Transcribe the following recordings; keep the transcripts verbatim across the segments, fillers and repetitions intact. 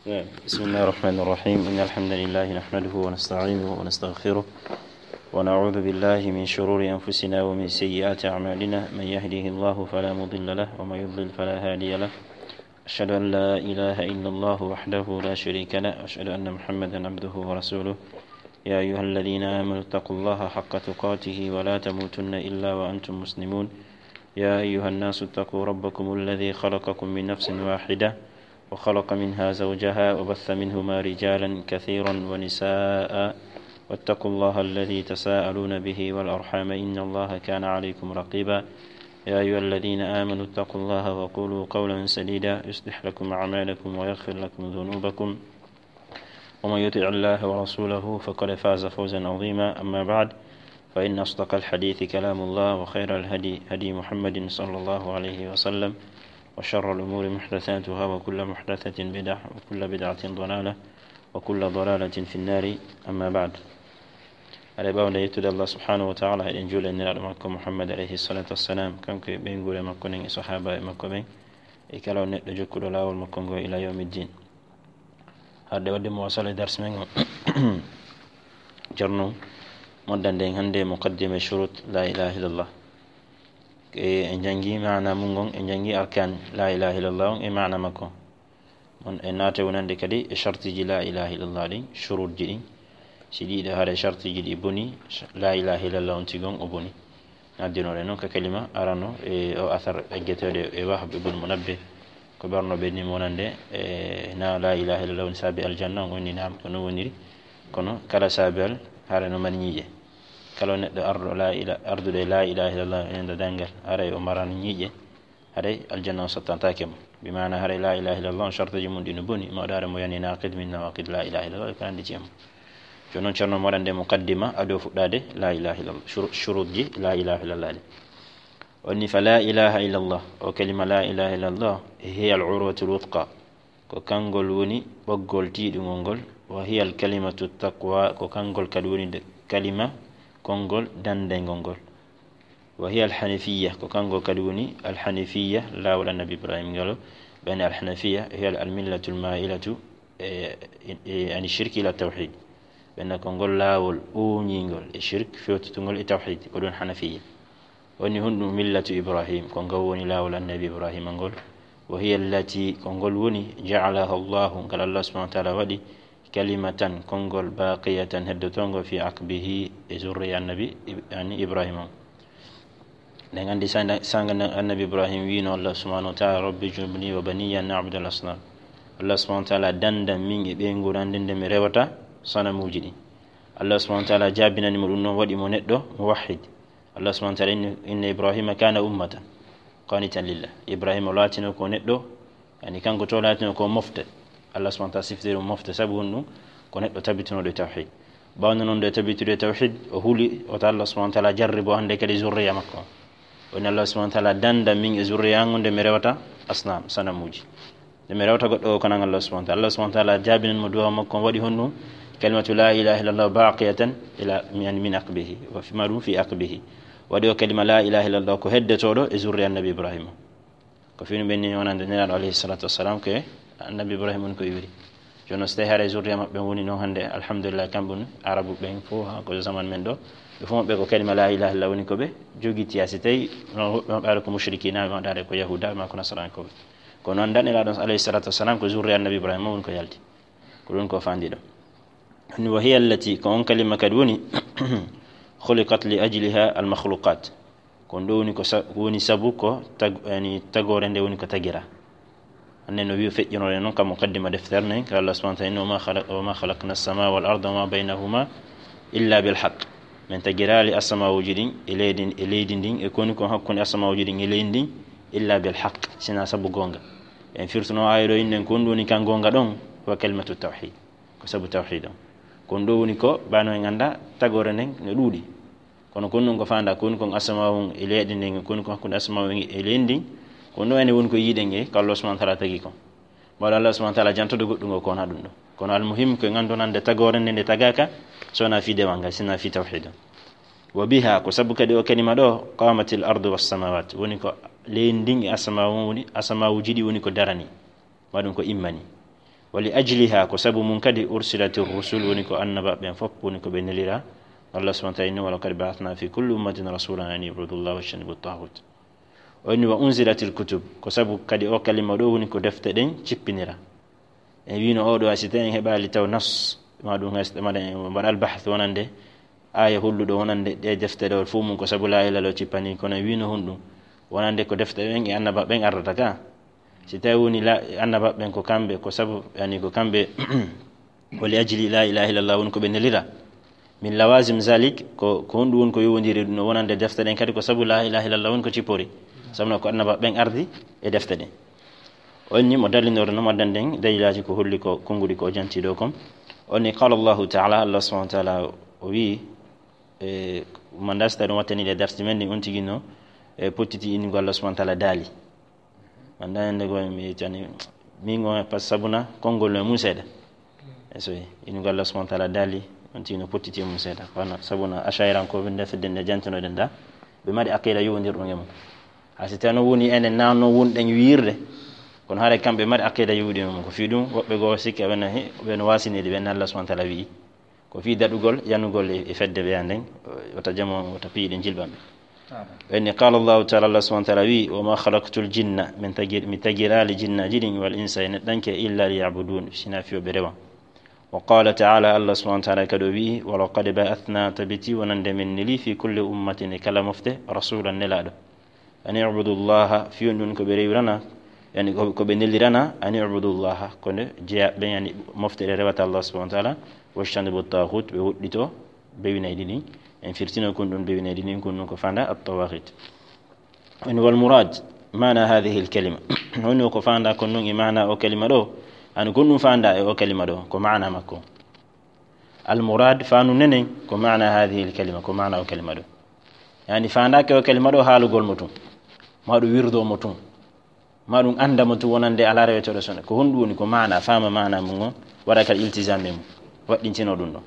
بسم الله الرحمن الرحيم. إن الحمد لله نحمده ونستعينه ونستغفره، ونعوذ بالله من شرور أنفسنا ومن سيئات أعمالنا. من يهده الله فلا مضل له، ومن يضلل فلا هادي له. أشهد أن لا إله إلا الله وحده لا شريك له، وأشهد أن محمدا عبده ورسوله. يا أيها الذين آمنوا اتقوا الله حق تقاته ولا تموتن إلا وأنتم مسلمون. يا أيها الناس اتقوا ربكم الذي خلقكم من نفس واحدة وخلق منها زوجها وبث منهما رجالا كثيرا ونساء، واتقوا الله الذي تساءلون به والأرحام، إن الله كان عليكم رقيبا. يا أيها الذين آمنوا اتقوا الله وقولوا قولا سديدا، يصلح لكم أعمالكم ويغفر لكم ذنوبكم، ومن يطع الله ورسوله فقد فاز فوزا عظيما. أما بعد، فإن أصدق الحديث كلام الله، وخير الهدي هدي محمد صلى الله عليه وسلم، وشر الأمور محدثاتها، وكل محدثة بدعة، وكل بدعة ضلالة، وكل ضلالة في النار. أما بعد. Aɗa ɓawde yettude Allah subhanahu wa ta'ala, eɗen juula e nelaaɗo makko Muhammad alayhi salatu wassalam, kanko e ɓeynguure makko nden e sahaba e makko ɓen, e kala on neɗɗo jokkuɗo laawol makko ngo ila yawmiddin. Harde wadde mo wasala e dars men o, jarno moddande en hannde muqaddima shurut la ilaha illallah. E, en jangi maana mun ngon, en jangi arkan la ilaha illallah on e maana makko. Mon e naate wonande kadi e shartiji la ilaha illallah ɗin, shurutji ɗin. Si ɗiɗo haɗa shartiji ɗi boni, la ilaha illallah on tigon o boni. Addinore non ka kalima arano e o athar eggeteɗo e Wahb ibn Munabbih, ko ɓerno ɓe ni wonande e na la ilaha illallah woni saabi aljanna, on woni naam ko non woniri. Kono kala saabi al hara no mari ñiiƴe. Kala neɗɗo arɗo la ila-, arduɗo e la ilaha illallah e nder dangal, haray o maran ñiiƴe, haray aljanna on sottantaake mo. Bi maana haray la ilaha illallah on shartuji mun ɗi no boni, mawɗo haray mo yani naqid min nawaqid la ilaha illallah, ko andi ci mo. Jooni non Ceerno mo waɗande muqaddima ado fuɗɗade la ilaha illallah, shuru-, shurutji la ilaha illallah ɗi. Woni fa la ilaha illallah, o kalima la ilaha illallah, hiya al urwatul wuthqa, ko kangol woni ɓoggol tiiɗungol ngol, wa hiya al kalimatu taqwa, ko kangol kadi woni de-, kalima konngol dandengol ngol. Wa hiya al hanifiyya, ko kangol kadi woni al hanifiyya, laawol annabi Ibrahim ngol. Ɓen al hanifiyya, hiya al millatul mailatu, e, e, ani shirki ila tawhid. Ɓen ko ngol laawol ooñingol e shirk, fewtutungol e tawhid, ko ɗum hanafiyya. Woni honɗum millatu Ibrahim, ko ngol woni laawol annabi Ibrahima ngol. Wa hiya allati, ko ngol woni, ja'alaha Allahu, ngal Allah subhanahu wa ta'ala waɗi, kalimatan, konngol, baqiyatan, heddotoongo, fi aqbihi, e zurriya annabi Ib-, ani Ibrahima. Ɗen anndi sanga, sanga annabi Ibrahim wiino Allah subhanahu wa ta'ala, "Rabbi junubni wa baniya an na'budu al asnam." Allah subhanahu wa ta'ala danda min e ɓeyngu nde mi rewata sanamuuji ɗi. Allah subhanahu wa ta'ala jaabinani mo ɗum noon, waɗi mo neɗɗo muwahhid. Allah subhanahu wa ta'ala inni, inna Ibrahima kana ummatan qanitan lillah. Ibrahima laatino ko neɗɗo, yani kanko to laatino ko mofte. Allah subhanahu wa ta'ala siftori mo mofte, sabu honɗum? Ko neɗɗo tabitunooɗo e tawhid. Ɓawno noon ɗo e tabitude e tawhid, o huli, wota Allah subhanahu wa ta'ala jarribo hannde kadi zurriya makko. Woni Allah subhanahu wa ta'ala danda min e zurriya ngu nde mi rewata asnam, sanamuuji. Nde mi rewata goɗɗo o kono Allah subhanahu wa ta'ala. Allah subhanahu wa ta'ala jaabinan mo du'a makko, waɗi honɗum? Kalimatu la ilaha illallah baqiyatan ila, yani min aqbihi. Wa fi ma ɗum fi aqbihi. Waɗi o kalima la ilaha illallah ko heddotooɗo e zurriya annabi Ibrahima. Ko fini ɓen ni wonande Nelaaɗo alayhi salatu wassalam ko e annabi Ibrahima woni ko iwiri. Jooni so tawi haray zurriya maɓɓe woni noon hannde, alhamdulillah, kamɓe woni Arabu ɓen fof, haa ko zaman men ɗo. Ɓe fof maɓɓe ko kalima la ilaha illallah woni ko ɓe jogiti, haa si tawi no woɓɓe maɓɓe ara ko mushrikina, ɓe maɗa ara ko yahuda, ma ko nasarankooɓe. Kono anndan Nelaaɗo alayhi salatu wassalam ko zurriya annabi Ibrahima woni ko yalti. Ko ɗum ko fandi ɗo. Ni wa hiya allati, ko on kalima kadi woni, khuliqat li ajliha al makhluqat. Ko ɗum ɗo woni ko sa-, woni sabu ko tag-, yani, tagoore nde woni ko tagira. Hannde no wi'i feƴƴinore noon ka muqaddima deftere nden, ka Allah subhanahu wa ta'ala, "Wa ma khalaq-, wa ma khalaqna as-samaa wal arda wa ma baynahuma illa bil haqq." Min tagiraali asamawuji ɗin e leydi, e leydi ndin, e koni kon hakkunde asamawuji ɗin e leydi ndin, illa bil haqq, sina sabu goonga. En firtuno aaya ɗo innen ko ɗum woni kan goonga ɗon, wa kalimatu tawhid. Ko sabu tawhid on. Ko ɗum ɗo woni ko, bano en annda, tagoore nden no ɗuuɗi. Kono ko ɗum ko fanda, ko woni kon asamawun e leydi ndin, ko woni kon hakkunde asamawun e leydi ndin, ko ɗum ɗo ene woni ko yiɗen e ko Allah subhanahu wa ta'ala tagi kon. Mbaɗa Allah subhanahu wa ta'ala jantodo goɗɗum o ko wona ɗum ɗo. Kono al muhim ko en anndonande tagoore nde nde tagaaka, so wona fii dewal ngal, sina fii tawhid on. Wa biha, ko sabu kadi o kalima ɗo, qamatil ardu was samawat, woni ko leydi ndin e asamawun woni, asamawuji ɗi woni ko darani. Waɗum ko immani. Wa li ajliha, ko sabu mum kadi, ursilatir rusul, woni ko annabaaɓe ɓen fof woni ko ɓe nelira. Allah subhanahu wa ta'ala inni, wa laqad ba'athna fi kulli ummatin rasulan an i'budu llaha wajtanibu taghut. O inni, wa unzilatil kutub, ko sabu kadi o kalima ɗo woni ko defte ɗen cippinira. En wiino oɗo, a si tawi en heɓaali taw nas, ma ɗum hay so mbaɗa, mbaɗa albahth wonande aya holluɗo wonande ɗe defte ɗo fof mum ko sabu la ilaha illallah cippani, kono en wiino honɗum wonande ko defte ɓen e annabaaɓe ɓen ardata ka. Si tawi woni la, annabaaɓe ɓen ko kamɓe, ko sabu, yani ko kamɓe, wa li ajli la ilaha illallah woni ko ɓe nelira. Min lawazim zalik, ko, ko honɗum woni ko yowondiri ɗum no wonande defte ɗen kadi ko sabu la ilaha illallah woni ko cippori. Sabu no ko annabaaɓe ɓen ardi e defte ɗen. On ni mo dallinore no maddan ɗen dalilaaji ko holli ko konnguɗi ko o janti ɗo kon. On ni qala Allahu ta'ala, Allah subhanahu wa ta'ala o wi, e, man da si tawi ɗum wattani le darsi men ɗin on tigi no, e, pottiti inngo Allah subhanahu wa ta'ala daali. Man da ende go mi tani, min go pas sabuna konngol no mum seeɗa. E so inngo Allah subhanahu wa ta'ala daali, on tigi no pottiti e mum seeɗa. Kono sabuna ashairan ko winde fedde nde jantinoɗen da, ɓe mari aqida yowondirɗo e mum. A si tawi no woni enen nanno wonɗen wiirde, kono haray kamɓe mari aqida yowuɗi e mum. Ko fii ɗum woɓɓe goo sikki aɓe no, he, ɓe no wasinide ɓen Allah subhanahu wa ta'ala wi'i. Ko fii daɗugol, yanugol e, e fedde ɓeya nden, wota jamo, wota piyi ɗen jilɓanɓe. Amin. Ɓen ni, qala Allahu ta'ala, Allah subhanahu wa ta'ala wi, wa ma khalaqtul jinna, min tagir, mi tagiraali jinnaaji ɗin, wal insa e neɗɗanke, illa liya'budun, sina fii yo ɓe rewan. Wa qala ta'ala, Allah subhanahu wa ta'ala kadi o wi, wa laqad ba'athna, tabiti wonande min neli, fi kulli ummatin, e kala mofte, rasulan nelaaɗo. An i'budu llaha, fii on ɗum ko ɓe rewirana, yani ko, ko ɓe nelirana, an i'budu llaha, ko nde jeyaɓe ɓen, yani mofte ɗe rewata Allah subhanahu wa ta'ala, wajtanibu taghut, ɓe woɗɗito, bewinayɗi ɗin. En firtino kon ɗum bewinayɗi ɗin, kon ɗum ko fanda at-tawaghit. En wal murad, mana hadhihi al kalima. Woni ko fanda kon ɗum e mana o kalima ɗo, an kon ɗum fanda e o kalima ɗo, ko mana makko. Al murad, fanu nenen, ko mana hadhihi al kalima, ko mana o kalima ɗo. Yani fandake o kalima ɗo haalugol mo tun, ma ɗum wirdo mo tun, ma ɗum anda mo tun wonande ala reweteɗo sona. Ko honɗum woni ko mana, fama mana mum on, waɗa kal iltisam e mum, waɗɗintino ɗum ɗon.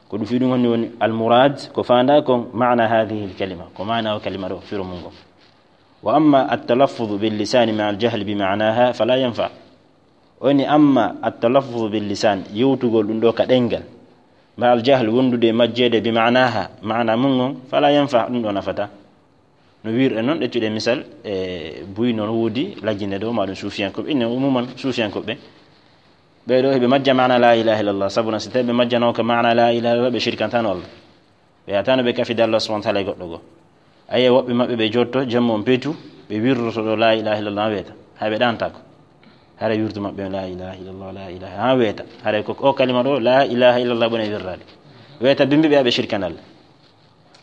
Ko ɗum fii ɗum woni, woni al murad, ko fanda kon mana hadhihi al kalima, ko mana o kalima ɗo, firo mum ngon. Wa amma at-talaffuz bil lisani ma al jahl bi ma'naha fala yanfa. O ni amma at-talaffuz bil lisan, yewtugol ɗum ɗo ka ɗengal, ma al jahl, wondude e majjeede, bi ma'naha, ma'na mum on, fala yanfa, ɗum ɗo nafata. No wirɗe noon, ƴettuɗe misal, e buy noon woodi lajjinde ɗo, ma ɗum suufiyankoɓe, inne umuman suufiyankoɓe. Ɓee ɗo heɓe majja ma'na la ilaha illallah, sabu na si tawi ɓe majjano ko ma'na la ilaha illallah, ɓe shirkantano Allah. Ɓe yahata no ɓe kafida Allah subhanahu wa ta'ala e goɗɗo goo. Aye woɓɓe maɓɓe ɓe jotto, jemma on peetu, ɓe wirroto ɗo la ilaha illallah weeta. Hay ɓe ɗantako. Hara wirdu maɓɓe on la ilaha illallah, la ilaha, ha weeta. Hara ko o kalima ɗo, la ilaha illallah, ɓone wirrade. Weeta bimbi ɓe aɓe shirkan Allah.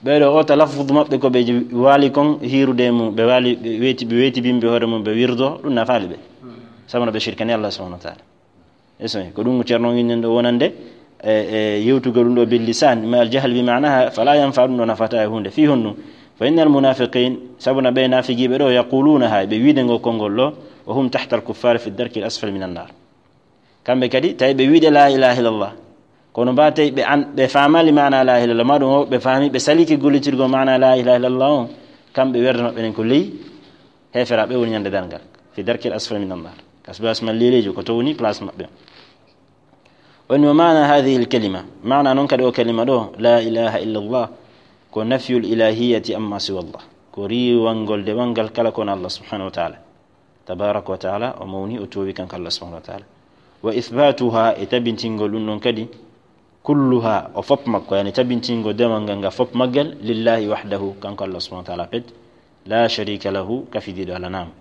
Ɓee ɗo o talaffuz maɓɓe ko ɓe waali kon hiirude e mum, ɓe waali, ɓe weeti, ɓe weeti bimbi hoore mum, ɓe wirdo, ɗum nafaali ɓe. Sabu no ɓe shirkani Allah subhanahu wa ta'ala. Eso, ko ɗum Ceerno on innen ɗo wonande, e, e yewtugol ɗum ɗo bil lisan, ma al jahl bi ma'naha, fala yanfa, ɗum ɗo nafata e huunde. Fii honɗum? Fa innal munafiqin, sabu na ɓe naafigiiɓe ɗo, yaquluna, ha ɓe wiide ngo konngol ɗo, wa hum tahta al kuffar fi darki al asfal min an nar. Kamɓe kadi, tawi ɓe wiide la ilaha illallah. Kono mba tawi ɓe an, ɓe faamali ma'na la ilaha illallah, ma ɗum o, ɓe faami, ɓe saliki gollitirgol ma'na la ilaha illallah on, kamɓe werde maɓɓe nen ko ley heeferaaɓe woni ñande darngal. Fi darki al asfal min an nar. Asbas man lelejo ko to woni place maɓɓe. Woni wa ma'na hadhihi al kalima. Ma'na non kadi o kalima ɗo, la ilaha illallah, ko nafyul ilahiyati amma siwa Allah. Ko riiwangol dewal ngal kala ko wona Allah subhanahu wa ta'ala. Tabaraka wa ta'ala, o mawni, o toowi kanko Allah subhanahu wa ta'ala. Wa ithbatuha, e tabintingol ɗum ɗon kadi, kulluha, o fop makko, yani tabintingol dewal ngal nga fop maggal, lillahi wahdahu, kanko Allah subhanahu wa ta'ala pet, la sharika lahu, kafidiiɗo alanaama.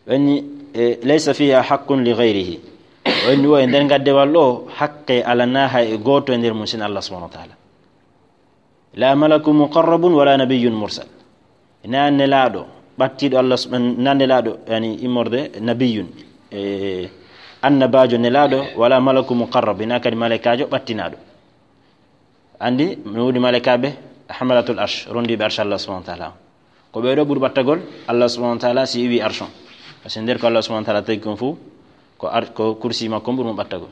Woni, e, laysa fiha haqqun li ghayrihi. Woni wo e nder ngaddewal ɗo, haqqe alana hay e gooto e nder mum sina Allah subhanahu wa ta'ala. La malakun muqarrabun wala nabiyyun mursal. Na nelaaɗo, ɓattiiɗo Allah sub-, na nelaaɗo, yani immorde nabiyyun, e, annabaajo nelaaɗo, wala malakun muqarrab, ina kadi malaikaajo ɓattinaaɗo. Andi, mi woodi malaikaaɓe, hamalatul arsh, rondiiɓe arsh Allah subhanahu wa ta'ala. Ko ɓee ɗo ɓuri ɓattagol Allah subhanahu wa ta'ala si iwi arsh on. Parce que nder ko Allah subhanahu wa ta'ala tagi kon fof, ko ar-, ko kursi makko on ɓuri mo ɓattagol.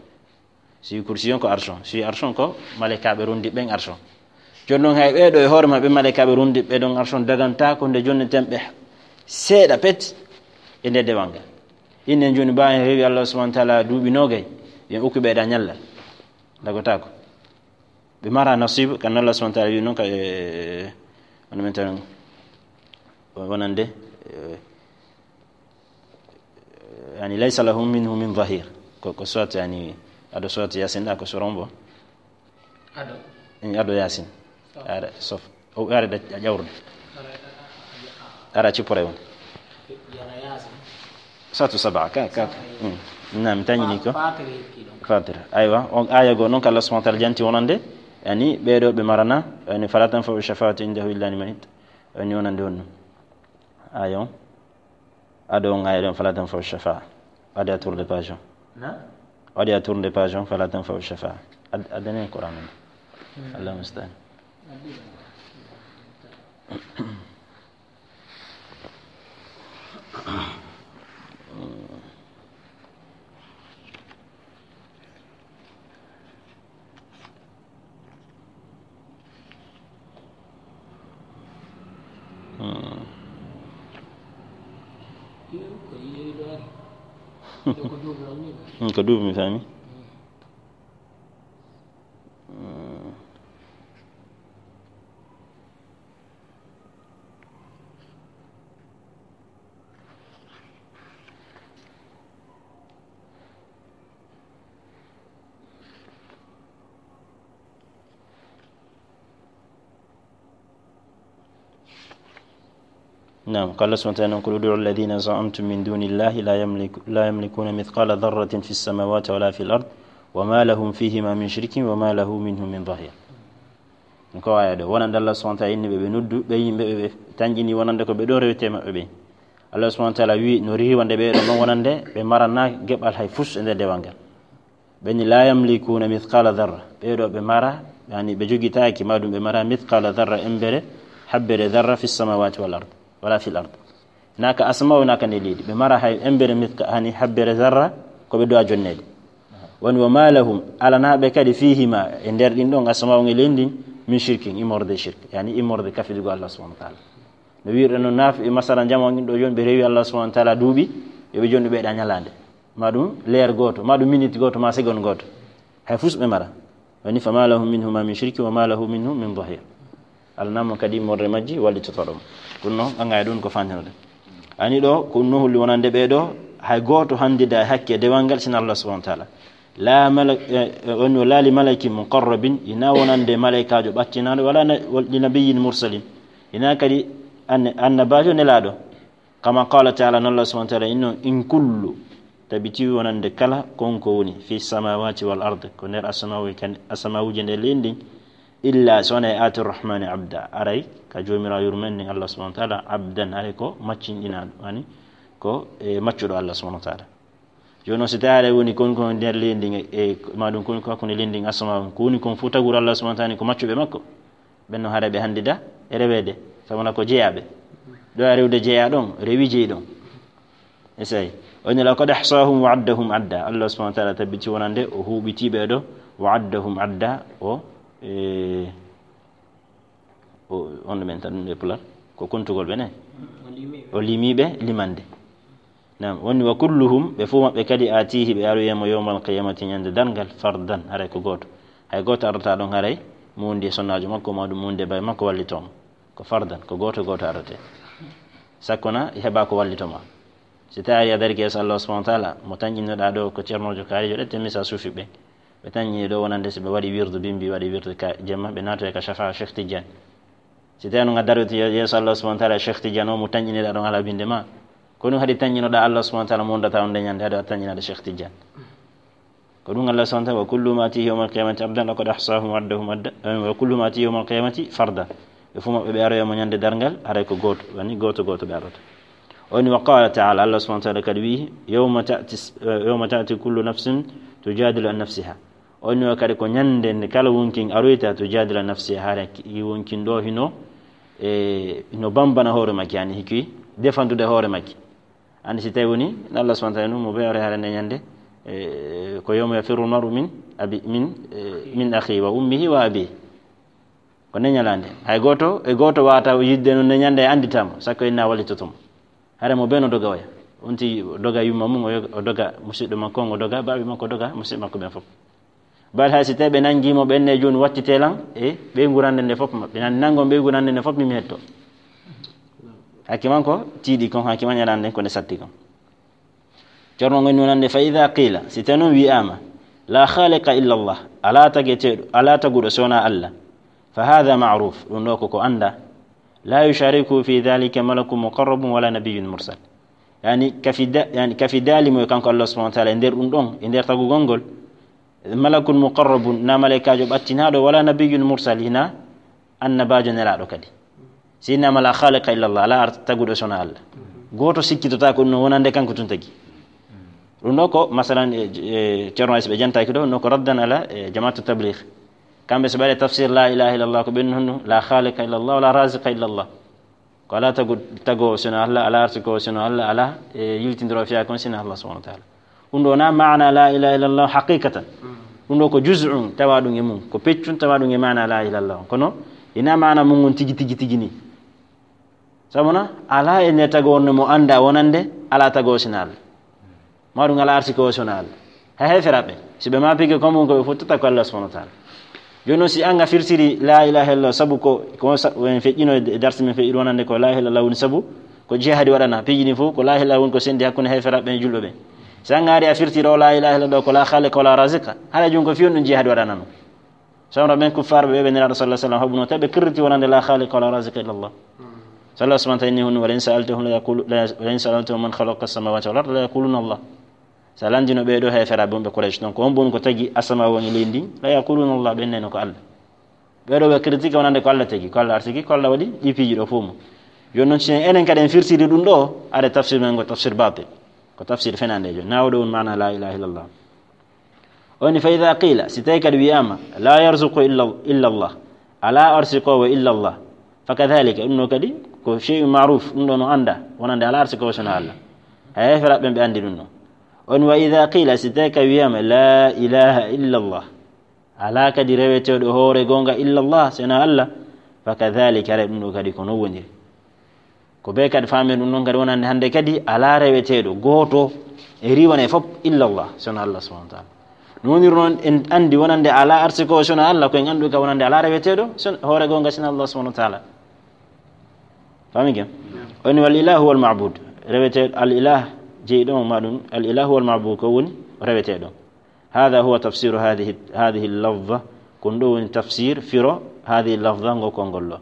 Si kursi on ko arsh on, si arsh on ko malaikaaɓe rondiiɓe ɓen arsh on. Jooni non hay ɓee ɗo e hoore maɓɓe malaikaaɓe rondiiɓe ɗon arsh on dagantaako nde jonneten ɓe seeɗa pet e nde dewal ngal. Inen jooni, ɓaawo en rewi Allah subhanahu wa taala duuɓi noogay, yen okku ɓeyda ñallal. Dagotaako. Ɓe mara nasibu, kan Allah subhanahu wa taala wi noon ka, e, wano men tan, wonande, e, yani, "Laysa lahum minhu min zahir." Ko, ko surat, yani, ado surat Yasin, a ko suron bo. Ado. In ado Yasin. Sof. Ara, sof. O ara da ƴawrude. Ara, ara, ara, ara. Ara cippore won. Yara Yasin. Suratu Saba, ka, ka. Saba, Mm. Naam, tañini ko. Fa-, Fatir hikki ɗon. Fatir. Aywa, on aya go noon ko Allah subhanahu wa taala janti wonande, yani, ɓeeɗo ɓe marana, yani, "Fala tanfa'u shafa'atu indahu illa liman irt-," yani, wonande on ɗum. Aya on. Ado on aya ɗon, "Fala tanfa'u shafa'a." Ade a tourne page on. Na? Ade a tourne page on, "Fala tanfa'u shafa'a." Ad-, adane Qur'an on. Hmm. Allahumma musta'an. Hmm. Iyo, ko yeewi ɗo ari. Ɗo ko duuɓi on ni ɗo. Hmm, ko duuɓi mi faami. Hmm. Hmm. نعم، قال سبحانه وتعالى: "قل ادعوا الذين زعمتم من دون الله لا يملك-، لا يملكون مثقال ذرة في السماوات ولا في الأرض وما لهم فيهما من شرك وما له منهم من ظهير." Ko aya ɗo, wonande Allah subhanahu wa taala inni ɓe, ɓe noddu ɓe yimɓe ɓe, ɓe tanƴini wonande ko ɓe ɗo rewete maɓɓe ɓe. Allah subhanahu wa taala wi no riiwande ɓe ɗo non wonande ɓe marana geɓal hay fus e nder dewal ngal. Ɓe ni, "La yamlikuna mithqala dharra." Ɓe ɗo ɓe mara, yani ɓe jogitaaki, ma ɗum ɓe mara mithqala dharra, embere, habbere dharra, fi samawati wal ard, wala fil ard. Hinaa ka asama, hinaa ka nder leydi. Ɓe mara hay embere mithqa-, hani habbere zarra, ko ɓe du'a jonnede. Woni, "Wa ma lahum," alanaɓe kadi, "fihima," e nder ɗin ɗon asama on e leydi ndin, "min shirkin," immorde shirk, yani immorde kafidugol Allah subhanahu wa taala. No wi'irɗen no naaf-, e masala jama on ɗo jooni, ɓe rewi Allah subhanahu wa taala duuɓi, yo ɓe jooni ɓeyda ñalande. Ma ɗum leer gooto, ma ɗum minute gooto, ma seconde gooto. Hay fus ɓe mara. Woni, "Fama lahum minhuma min shirki wa ma lahu minhum min dhahir." Alanaama kadi immorde majji wallitotoɗo mo. Ɗum noon, ɓangay ɗum ko fantinode. Ani ɗo, ko ɗum no holli wonande ɓee ɗo, hay gooto handida e hakke dewal ngal sina Allah subhanahu wa taala. La malak-, eh, eh, woni, "Wa la li malakin muqarrabin," ina wonande malaykaajo ɓattinaɗo, wala na-, wa li nabiyyin mursalin. Ina kadi anne-, annabaajo nelaaɗo. Kama qala taala, no Allah subhanahu wa taala inno, "In kullu," tabiti wonande kala kon ko woni, "fi samawati wal ard," ko nder asamaawi kan, asamaawiije nder leydi ndin, "illa," so wonay, "ati rahmani abda," aray ka Joomiraawo yurmeen ndin Allah subhanahu wa taala, "abdan," aray ko maccinɗinaaɗo, yani ko, e, maccuɗo Allah subhanahu wa taala. Jooni noon, si tawi aray woni kon ko nder leydi ndin, e, ma ɗum kon ko hakkunde leydi ndin asamaawi, ko woni kon fof taguru Allah subhanahu wa taala ni ko maccuɓe makko. Ɓen no haray ɓe handida e reweede, sabu na ko jeyaaɓe. Ɗo a rewde jeyaa ɗon, rewi jeyi ɗon. Esay. O ni, "Laqad ahsahum wa addahum adda." Allah subhanahu wa taala tabbiti wonande o huuɓiti ɓee ɗo, wa addahum adda, o, e, o, on ɗo men tan ɗum e pular, ko kontugol ɓe ne. O limiiɓe. O limiiɓe limande. Naam, woni, "Wa kulluhum," ɓe fof maɓɓe kadi, "atihi," ɓe aroyay mo, "yawmal qiyamati," ñande darngal, "fardan," haray ko gooto. Hay gooto arata ɗon haray muundi e sonnaajo makko, ma ɗum muundi e baay makko wallitoo mo. Ko fardan, ko gooto gooto arate. Sakko na heɓa ko wallitoo ma. Si tawi a darike yeeso Allah subhanahu wa taala, mo tanƴinnoɗaa ɗo ko ceernoojo kaarijo ɗe, te misa suufi ɓe. Ɓe tanƴini ɗo wonande si ɓe waɗi wirdu bimbi, waɗi wirdu ka jemma, ɓe naatoya ka shafa Cheikh Tidiane. Si tawi noon a daroyta ye-, yeeso Allah subhanahu wa taala, Cheikh Tidiane o mo tanƴinirɗaa ɗon alaa binde ma. Ko ɗum haɗi tanƴinoɗaa Allah subhanahu wa taala mo wondata on nde ñande, haɗi a tanƴinaade Cheikh Tidiane. Ko ɗum Allah subhanahu wa taala, "Wa kulluhum atihi yawmal qiyamati abdan, laqad ahsahum wa addahum adda, eh, wa kulluhum atihi yawmal qiyamati farda." Ɓe fof maɓɓe ɓe aroya mo ñande darngal, haray ko gooto, woni gooto gooto ɓe arata. O ni, wa qala taala, Allah subhanahu wa taala kadi wi'i, "Yawma ta'ti s-, eh, yawma ta'ti kullu nafsin tujadilu an nafsiha." O ni o kadi ko ñande nde kala wonkin aroyta tujadilu an nafsiha, haray ki wonkin ɗo hino, e, hino bambana hoore makki, yani hiki defandude hoore makki. Andi si tawi woni, Allah subhanahu wa taala, mo ɓe aroya haray nde ñande, e, ko yawma yafirru al mar'u min abi-, min, e, min akhi wa ummihi wa abi. Ko nde ñalande. Hay gooto, e gooto waata yidde noon nde ñande e andita mo, sakko inna wallitoto mo. Hare mo beno doga oya. On tigi o doga yumma mum, o yoga, o doga musidɗo makko on, o doga baaɓe makko, o doga musidɓe makko ɓen fof. Bal hay si tawi ɓe nanngii mo, ɓen ne jooni wattitee lan e ɓeyngu rannde nde fof maɓɓe. Nan nanngon ɓeyngu rannde nde fof, min mi hetto. Hakke man ko tiiɗi kon, hakke man ñalaande nden ko nde satti kon. Ceerno on woni wonande, fa ida qila, si tawi noon wiyaama, la khaliqa illa Allah, alaa tageteeɗo, alaa taguɗo so wonaa Allah, fa hada maruf, ɗum ɗo koko annda, la yushariku fi dhalika malakun muqarrabun wala nabiyyun mursal. Yani kafi da-, yani kafi daali mo e kanko Allah subhanahu wa taala e nder ɗum ɗon, e nder tagugol ngol, malakun muqarrabun, na malaykaajo ɓattinaaɗo, wala nabiyyun mursal, hina annabaajo nelaaɗo kadi. Si innama la khaliqa illa Allah, alaa ar-, taguɗo sona Allah. Gooto sikkitotaako ɗum no wonande kanko tun tagi. Ɗum ɗo ko, masalan, e, e, Ceerno Aysa ɓe jantaaki ɗo, no ko raddan ala, e, jamaatu tabligh. Kamɓe so ɓe waɗi tafsir la ilaha illa Allah, ko ɓen honno, la khaliqa illa Allah, wala raziqa illa Allah. Ko alaa tagu-, tago sona Allah, alaa arsiko sona Allah, alaa, e, yiltindiro fiya kon sina Allah subhanahu wa taala. Ɗum ɗo na maana la ilaha illallah haqiqatan. Ɗum ɗo ko juz'un tawa ɗum e mum, ko peccun tawa ɗum e maana la ilaha illallah. Kono ina maana mum on tigi, tigi, tigi ni. Sabu na, alaa e nde tago wonde mo annda wonande, alaa tago sina Allah. Ma ɗum alaa arsiko sona Allah. Hay heeferaɓe, si ɓe ma pige ko mum ko ɓe fottata ko Allah subhanahu wa taala. Jooni noon, si an a firtiri la ilaha illallah, sabu ko, ko sa-, en feƴƴino e darsi men feƴƴiri wonande ko la ilaha illallah woni sabu ko jihadi waɗana. Piiji ɗin fof ko la ilaha illallah woni ko sendi hakkunde heeferaɓe e julɓe ɓen. Si an a ari a firtiri o la ilaha illallah ko la khaliqa wala razika, haɗa jun ko fiyon ɗum jihadi waɗanano. Samra ɓen kuffaarɓe ɓe ɓe Nelaaɗo sallallahu alaihi wasallam haɓuno, tawi ɓe kirriti wonande la khaliqa wala razika illallah. Sallallahu subhanahu wa ta'ala inni hunnu, wa la in sa'altahum la yaqulu-, la, wa la in sa'altahum man khalaqa as-samawati wal arda la yaquluna Allah. Sa landino ɓee ɗoo heeferaaɓe wonɓe Quraysh ɗon, ko on boni ko tagi asamaa on e leydi ndin? La yaquluna Allah, ɓen neno ko Allah. Ɓee ɗoo ɓe critique wonande ko Allah tagi, ko Allah arsiki, ko Allah waɗi ɗi piiji ɗo fof mum. Jooni noon, si enen kadi en firtiri ɗum ɗo, are tafsir men ngo tafsir batil. Ko tafsir fenaandeejo. Naawɗo on maana la ilaha illallah. O ni fa idha qila, si tawi kadi wiyaama, la yarzuqu illa, illa Allah. Alaa arsikoowo illa Allah. Fa kadhalika, ɗum ɗo kadi ko shay'un ma'ruf, ɗum ɗo no annda, wonande alaa arsikoowo sona Allah. Hay heeferaaɓe ɓen ɓe anndi ɗum ɗo. On wa idha qila, si tawi ka wiyaama, la ilaha illa Allah, alaa kadi reweteeɗo hoore goonga illa Allah, sona Allah, fa kadhalika, haray ɗum ɗo kadi ko non woniri. Ko ɓe kadi faamen ɗum ɗon kadi wonande hannde kadi alaa reweteeɗo gooto e riiwane fof illa Allah, sona Allah subhanahu wa taala. No woniri noon en anndi wonande alaa arsiko sona Allah, ko en anndu ka wonande alaa reweteeɗo son-, hoore goonga sina Allah subhanahu wa taala. Faami ken? O ni wal ilahu wal ma'bud. Reweteeɗo al ilah jeyi ɗon ma ɗum, al ilahu wal ma'bud ko woni reweteeɗo. Hada huwa tafsiru hadhihi, hadhihi lafza. Ko ɗum ɗo woni tafsir, firo, hadhihi lafza, ngo konngol ɗo.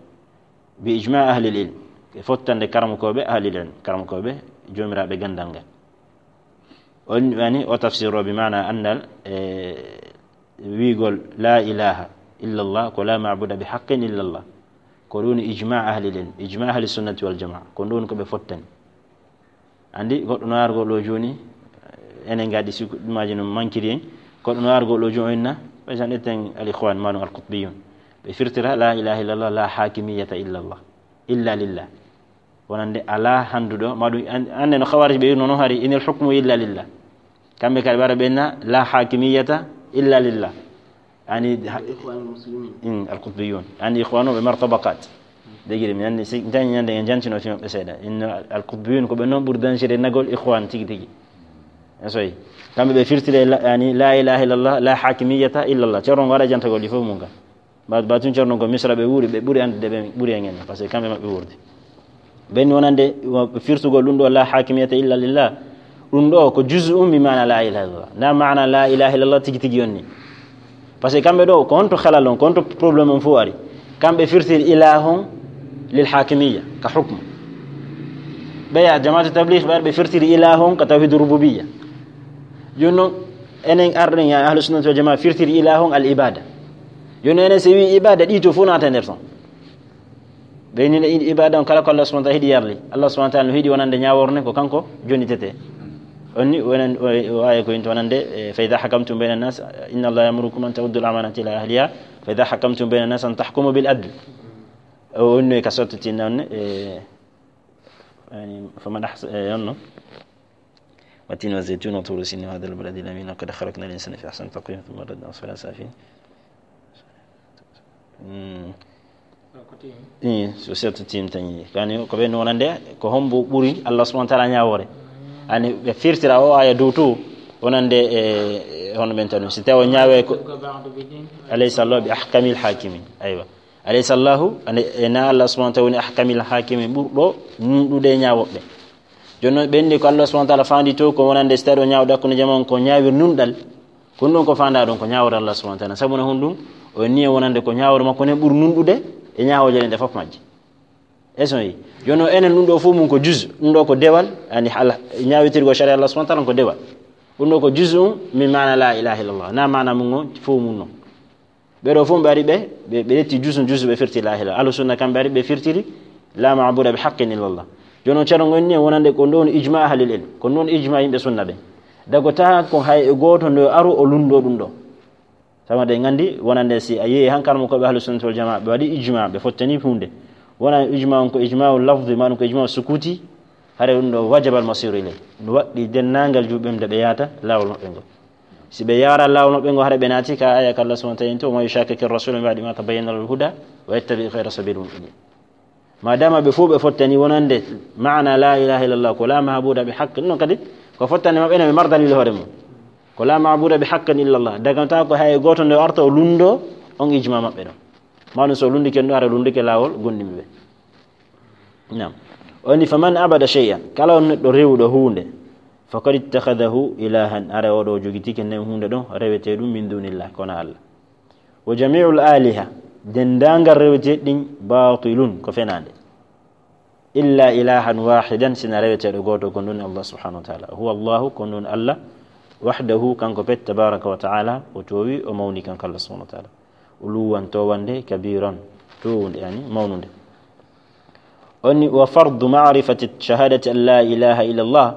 Bi ijma ahli ilm. E fottande karamokooɓe ahli ilm, karamokooɓe joomiraaɓe ganndal ngal. On wani o tafsir o bi maana anndal e wiigol la ilaha illa Allah, ko la ma'buda bi haqqin illa Allah. Ko ɗum woni ijma ahli ilm, ijma ahli sunnati wal jamaa. Ko ɗum ko ɓe fottani. Anndi, goɗɗo no argol ɗo jooni, enen ngaddi si ɗumaaji no mankiri en. Goɗɗo no argol ɗo jooni o inna, par exemple, ƴetten al ikhwan, ma ɗum al qutbiyun. Ɓe firtira la ilaha illallah, la hakimiyata illallah, illa lillah. Wonande alaa hannduɗo, ma ɗum an-, anne no khawarij ɓe yirno no hari, inil hukmu illa lillah. Kamɓe kadi ɓara ɓe inna, la hakimiyata illa lillah. Ani ha-, Ikhwanul Muslimin. Mm, al-Qutbiyun. Ani ikhwanu ɓe mari tabaqat. Degiri mi anndi si dañi ñande en jantino fi maɓɓe seeɗa. Inno al-Qutbiyun ko ɓe noon ɓuri dañsire nagol ikhwan tigi tigi. E soyi. Kamɓe ɓe firtire la, yani la ilaha illallah, la hakimiyata illallah. Ceerno ngo waɗa jantagol ɗi fof mum ka. Ba, ba tun ceerno ngo Misra ɓe wuuri, ɓe ɓuri anndude ɓe ɓuri en en. Parce que kamɓe maɓɓe wuurde. Ɓen wonande firtugol ɗum ɗo la hakimiyata illa lillah. Ɗum ɗo ko juz'un bi maana la ilaha illallah. Na maana la ilaha illallah tigi tigi yonni. Parce que kamɓe ɗo ko honto halal on, ko honto problème on fof ari. Kamɓe firtiri ilahon lil hakimiyya ka hukmu. Ɓeya jamaatu tabligh ɓe ari ɓe firtiri ilahon ka tawhid rububiyya. Jooni noon enen arɗen ya ahlu sunnati wal jamaa firtiri ilahon al ibada. Jooni enen si wi ibada ɗi to fof naata e nder ton. Ɓe ni ibada on kala ko Allah subhanahu wa ta'ala hiɗi yarli. Allah subhanahu wa ta'ala no hiɗi wonande ñaaworne ko kanko jonnitete. On ni wonande, o, o aya ko yinto wonande, e, fa idha hakamtum bayna nas, inna Allah ya'murukum an tu'addu al-amanati ila ahliha, fa idha hakamtum bayna nas an tahkumu bil adl. O, on no ka sotti tin non, e, yani, faman ahsa-, e, on no. والتين والزيتون وطور سينين وهذا البلد الأمين لقد خلقنا الإنسان في أحسن تقويم ثم رددناه أسفل سافلين. Mm. Ko tim. Ii, so setto tim tañi. Kani ko ɓe wonande, ko hombo ɓuri Allah subhanahu wa ta'ala ñaawoore? Ani ɓe firtira o aya dow to, wonande e, e hono men tanu. Si tawi o ñaawe ko, alaysa Allahu bi ahkamil hakimin. Aywa. Alaysa Allahu, ane, e na Allah subhanahu wa ta'ala woni ahkamil hakimin, ɓurɗo nunɗude e ñaawoɓe. Jooni noon ɓe inni ko Allah subhanahu wa ta'ala faandi to, ko wonande si tawi o ñaawde hakkunde jama on ko ñaawir nunɗal. Ko ɗum ɗon ko faanda ɗon ko ñaawre Allah subhanahu wa ta'ala. Sabu na honɗum? O inni e wonande ko ñaawre makko nden ɓuri nunɗude e ñaawooje ɗen ɗe fof majje. Est-ce que on yi? Jooni o enen ɗum ɗo fof mum ko juz, ɗum ɗo ko dewal, ani hala ñaawitirgo sharia Allah subhanahu wa ta'ala ko dewal. Ɗum ɗo ko juz'un min maana la ilaha illallah. Na maana mum on fof mum non. Ɓe ɗo fof ɓe ari ɓe, ɓe, ɓe ƴetti juz'un juz'u ɓe firti la ilaha illallah. Ahlu sunna kamɓe ari ɓe firtiri la ma'buda bi haqqin illallah. Jooni o ceerno ngon ni wonande ko ɗum ɗon ijma ahlil ilm. Ko ɗum ɗon ijma yimɓe sunna ɓe. Dago taha ko hay e gooto ndo aru o lundo ɗum ɗo. Sabu eɗen nganndi wonande si a yehi hankar mo ko ɓe ahlu sunnati wal jamaa ɓe waɗi ijma ɓe fottani huunde. Wona ijma on ko ijma lafdi ma ɗum ko ijma sukuti, hare ɗum ɗo wajaba al masiru ilay. No waɗɗi denndaangal juuɓe ɓe ɓe yaata laawol maɓɓe ngo. Si ɓe yaara laawol maɓɓe ngo hare ɓe naati ka aya ka Allah subhanahu wa ta'ala inti, "Wa man yushaqiqi rasula min ba'di ma tabayyana lahu al-huda wa yattabi ghayra sabili al-mu'minin." Ma dama ɓe fof ɓe fottani wonande maana la ilaha illallah ko la maabuda bi haqqin, non kadi ko fottani maɓɓe ene ɓe mar dalil hoore mum. Ko la maabuda bi haqqin illallah. Daganta ko hay gooto nde o arta o lundo on ijma maɓɓe ɗon. Ma ɗum so lundike ɗo hare lundike laawol gonɗinɓe ɓe. Naam. O ni, "Faman abada shay'an," kala on neɗɗo rewuɗo huunde, "faqad ittakhadahu ilahan," hare oɗo o jogitike nden huunde ɗon rewete ɗum min dunillah, kono Allah. "Wa jami'ul aliha," denndaangal rewete ɗin, "batilun," ko fenaande. "Illa ilahan wahidan," sina reweteeɗo gooto, ko ɗum Allah subhanahu wa ta'ala. "Huwa Allahu," ko ɗum Allah, "wahdahu," kanko pet, "tabaraka wa ta'ala," o toowi, o mawni kanko Allah subhanahu wa ta'ala. "Uluwan towande, kabiran," towunde, yani mawnunde. O ni, "Wa fardu ma'rifati shahadati an la ilaha illallah,"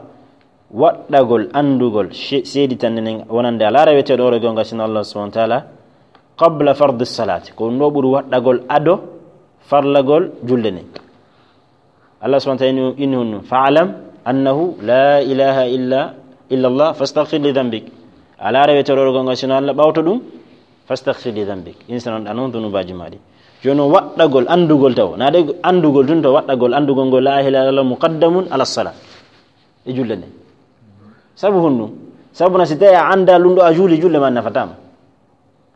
waɗɗagol anndugol she-, seeditande nden wonande alaa reweteeɗo o e goonga sino Allah subhanahu wa ta'ala, "qabla fardi salati," ko ɗum ɗo ɓuri waɗɗagol ado farlagol julde nden. Allah subhanahu wa ta'ala inni, inni honno, "Fa'lam annahu la ilaha illa, illa Allah, fastaghfir li dhanbik." Alaa reweteeɗo o e goonga sino Allah, ɓawto ɗum, "fastaghfir li dhanbik." Insa non ɗa non dunubaaji maa ɗi. Jooni o waɗɗagol anndugol taw. Na de anndugol tun to waɗɗagol anndugol ngol la ilaha illallah muqaddamun ala salat. E julde nde. Sabu honɗum? Sabu na si tawi a annda lunɗo a juuli, julde ma nafataama.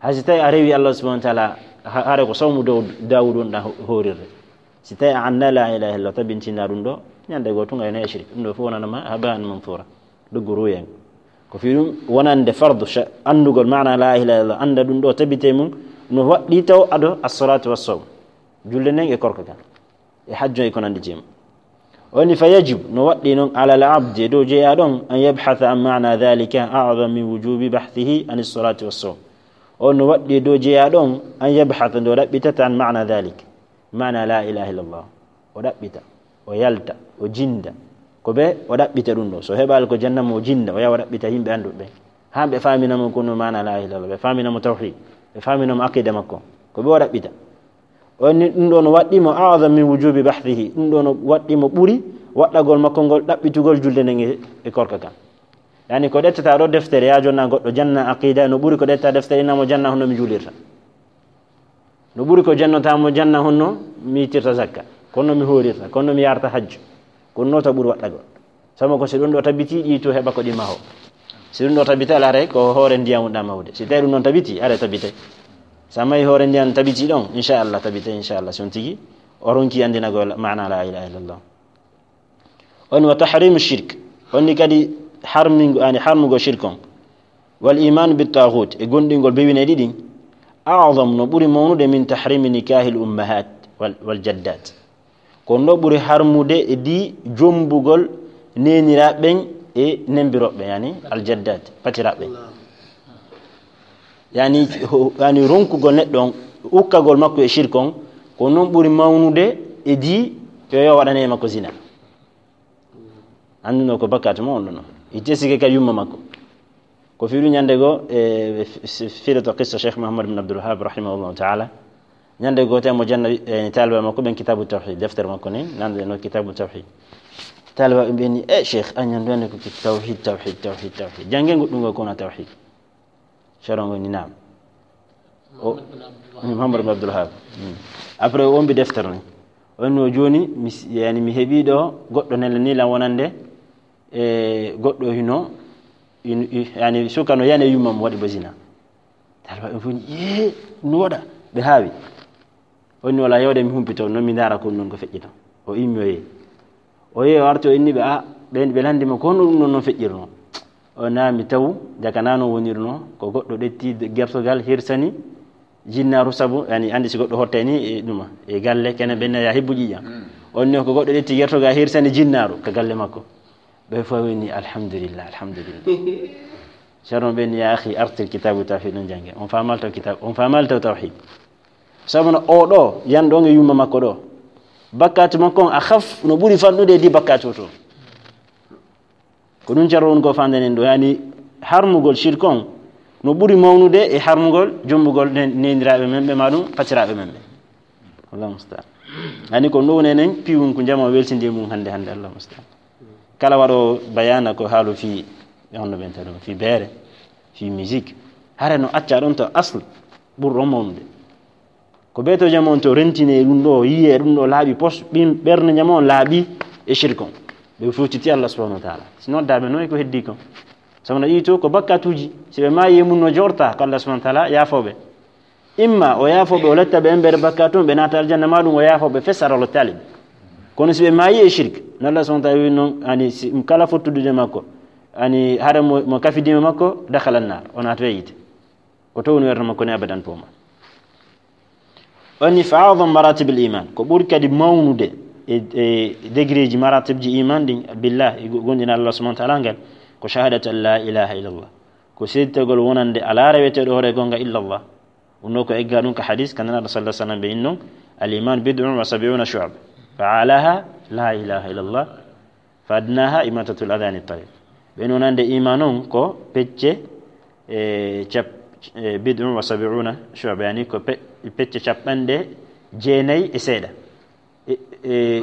Hay si tawi a rewi Allah subhanahu wa ta'ala, ha-, hare ko sawmu Daw-, Dawud wonɗa ho-, horirde. Si tawi a annda la ilaha illallah, tabintina ɗum ɗo, ñande goo tun a yona e shirk. Ɗum ɗo fof wonanama haba'an manthura. Doggu ruuyen. Ko fii ɗum wonande fardu sha-, anndugol maana la ilaha illallah, annda ɗum ɗo tabite mum, no waɗɗi taw ado as-salatu was-sawm. Julde nden e korka kan. E hajjo e ko nanndi jee mum. O ni, "Fa yajib," no waɗɗi non, "ala al abdi," e dow jeyaaɗo on, "an yabhatha an maana dhalika a'zam min wujubi bahthihi an as-salati was-sawm." O no waɗɗi e dow jeyaaɗo on, "an yabhatha," nde o ɗaɓɓitata, "an maana dhalik," maana la ilaha illallah. O ɗaɓɓita, o yalta, o jinnda. Ko ɓe o ɗaɓɓita ɗum ɗo. So heɓaali ko janna mo o jinnda, o yaha o ɗaɓɓita yimɓe annduɓe ɓe. Haa ɓe faamina mo ko no maana la ilaha illallah, ɓe faamina mo tawhid, ɓe faamina mo aqida makko. Ko ɓe o ɗaɓɓita. O ni ɗum ɗo no waɗɗi mo a'zam min wujubi bahthihi. Ɗum ɗo no waɗɗi mo ɓuri waɗɗagol makko ngol ɗaɓɓitugol julde nden e, e korka kan. Yani ko ɗettata ɗo deftere ya jonna goɗɗo janna aqida no ɓuri ko ɗetta deftere na mo janna honno mi juulirta. No ɓuri ko jannota mo janna honno mi ittirta zakka, kono mi hoorirta, kono mi yarta hajju. Ko nota ɓuri waɗɗagol. Sabu ko si ɗum ɗo tabiti ɗi to heɓa ko ɗi maho. Si ɗum ɗo tabiti ala rey ko hoore ndiyamu ɗa mawde. Si tawi ɗum noon tabiti, ara tabite. Sa mayi hoore ndiyan tabiti ɗon, inchallah tabite, inchallah. Si on tigi, o ronki andinagol maana la ilaha illallah. On wa tahrimu shirk. On ni kadi harmingo, ani harmugo shirk on. Wal iman bit taghut, e gondingol bewinayɗi ɗin. A'zam no ɓuri mawnude min tahrimi nikahil ummahat wal, wal jaddat. Ko ɗum ɗo ɓuri harmude e di jombugol neeniraaɓe ɓen e nembirooɓe, yani aljaddat, patiraaɓe ɓen. Yani, ho-, yani ronkugol neɗɗo on, ukkagol makko e shirk on, ko noon ɓuri mawnude e di yo, yo waɗane makko zina. Annduno ko bakkaatu mo on ɗon. Itte sike ka yumma makko. Ko fii ɗum ñande goo, e, f-, f-, firito qissa Cheikh Muhammad bin Abdul Wahhab rahimahullahu ta'ala. Ñande goo, te mo janna, e, taaliba makko ɓen Kitabu Tawhid, deftere makko nen, nande no Kitabu Tawhid. Taaliba ɓen ɓe ni, "E, Cheikh, a ñande ko ki-, tawhid, tawhid, tawhid, tawhid. Jannge goɗɗum ngol ko wona tawhid." Ceerno ngol ni, "Naam." O, Muhammad bin Abdul Wahhab. Hmm. Après, o ombi deftere nen. O no jooni, mi s-, yani, mi heɓi ɗo goɗɗo nela ni lan wonande E goɗɗo hino, in- i- yani suka no yani yummam waɗi ba zina. Talba ɓen fof ni, "Yee, no waɗa?" Ɓe haawi. O inni, "Wala, yewde mi humpito, non mi ndaara ko ɗum ɗon ko feƴƴi ton." O immi o yehi. O yehi, o arti, o inni ɓe, "A, ɓen ɓe lanndi mo, ko honno ɗum ɗon non feƴƴirno?" O naami taw, jaka na non wonirno, ko goɗɗo ƴetti gertogal hirsani jinnaaru sabu, yani, anndi si goɗɗo hottay ni, e ɗuma, e galle, kene ɓen ya hibbu ƴiiƴam. Mm. On ni ko goɗɗo ƴetti gertogal hirsani jinnaaru ka galle makko. Ɓe fof ɓe ni, "Alhamdulillah, alhamdulillah." Ceerno ɓe ni, "Ya akhi, artil kitabu tawhid non jannge." On faamal taw kitab, on faamal taw tawhid. Sabu no o ɗo, yan ɗo e yumma makko ɗo. Bakkatu makko on a khaf, no ɓuri fanɗude e di bakkatu to. Ko ɗum Ceerno woni ko faanden en ɗo, yani harmugol shirk on no ɓuri mawnude e harmugol jombugol nen-, nendiraaɓe men ɓe, ma ɗum patiraaɓe men ɓe. Allahu musta'an. Yani ko ɗum woni enen piwun ko jama weltinde mum hannde, hannde, Allahu musta'an. Kala waɗo bayana ko haalu fii, ɓe honno ɓen tawi ɗum, fii beere, fii musique. Hare no acca ɗon to asl ɓurɗo mawnude. Ko ɓeeto jam on to rentine ɗum ɗo, yiye ɗum ɗo laaɓi pos, ɓin ɓernde jam on laaɓi e shirk on. Ɓe fuutiti Allah subhanahu wa ta'ala. Si noddaaɓe noy ko heddi kon. Sabu no ɗii to ko bakkatuuji, si ɓe maayi e mum no jorta ko Allah subhanahu wa ta'ala yaafooɓe. Imma o yaafooɓe, o letta ɓe embere bakkatu on, ɓe naata aljanna, ma ɗum o yaafooɓe fes hara o lottaali ɓe. Kono si ɓe maayi e shirk, no Allah subhanahu wa ta'ala wi non, ani si kala fottudude makko, ani hara mo, mo kafidima makko, dakhala an-nar, o naata e yiite. Ko to woni werno makko ni abadan poma. Oni fa a'zam maratib al-iman, ko ɓuri kadi mawnude e, e degré ji maratib ji iman ɗin, billah, e go-, gonɗina Allah subhanahu wa ta'ala ngal, ko shahadatu an la ilaha illallah. Ko seeditagol wonande alaa reweteeɗo hoore goonga illallah. Ɗum ɗo ko egga ɗum ka hadis, ka Nulaaɗo sallallahu alaihi wasallam ɓe innon, "Al-iman bid'un wa sab'una shu'ba. Fa a'laha la ilaha illallah. Fa adnaha imatatul adha anit tariq." Ɓen wonande iman on ko pecce, e, cap-, e, bid'un wa sab'una shu'ba, yani ko pe-, pecce capanɗe jeenayi e seeɗa. E, e,